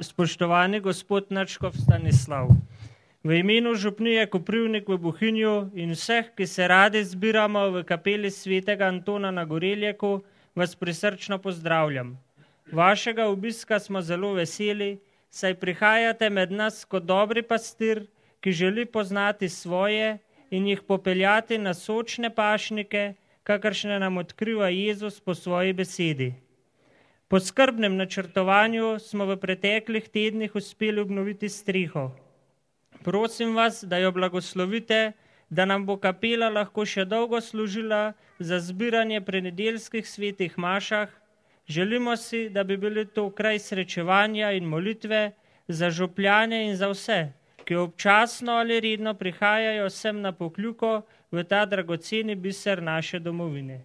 Spoštovani gospod nadškof Stanislav, v imenu župnije Koprivnik v Bohinju in vseh, ki se radi zbiramo v kapeli svetega Antona na Goreljeku, vas prisrčno pozdravljam. Vašega obiska smo zelo veseli, saj prihajate med nas kot dobri pastir, ki želi poznati svoje in jih popeljati na sočne pašnike, kakršne nam odkriva Jezus po svoji besedi. Po skrbnem načrtovanju smo v preteklih tednih uspeli obnoviti streho. Prosim vas, da jo blagoslovite, da nam bo kapela lahko še dolgo služila za zbiranje pri nedeljskih svetih mašah. Želimo si, da bi bili to kraj srečevanja in molitve za župljane in za vse, ki občasno ali redno prihajajo sem na Pokljuko v ta dragoceni biser naše domovine.